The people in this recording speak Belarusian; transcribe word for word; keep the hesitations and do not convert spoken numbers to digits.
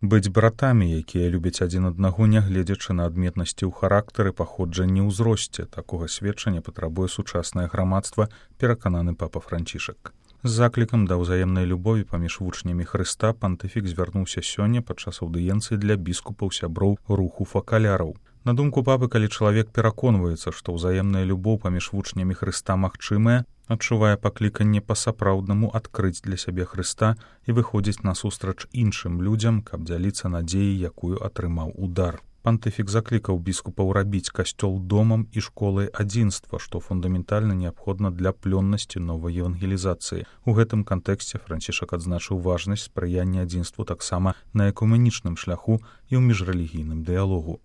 Быць братамі, якія любяць адзін аднаго, нягледзячы на адметнасці ў характары, паходжанні, ўзросце. Такога сведчання патрабуе сучаснае грамадства, перакананы папа Францішак. З заклікам да ўзаемнай любові паміж вучнямі Хрыста пантыфік звярнуўся сёння падчас аўдыенцыі для біскупаў сяброў руху факаляраў. На думку папы, калі чалавек пераконваецца, што ўзаемная любоў паміж вучнямі Хрыста магчымая, адчувае пакліканне па-сапраўднаму адкрыць для сябе Хрыста і выходзіць насустрач іншым людзям, каб дзяліцца надзеяй, якую атрымаў удар. Пантыфік заклікаў біскупаў рабіць касцёл домам і школай адзінства, што фундаментальна неабходна для плённасці новай евангелізацыі. У гэтым кантэксце Францішак адзначыў важнасць спрыяння адзінству таксама на экуменічным шляху і ў міжрэлігійным дыялогу.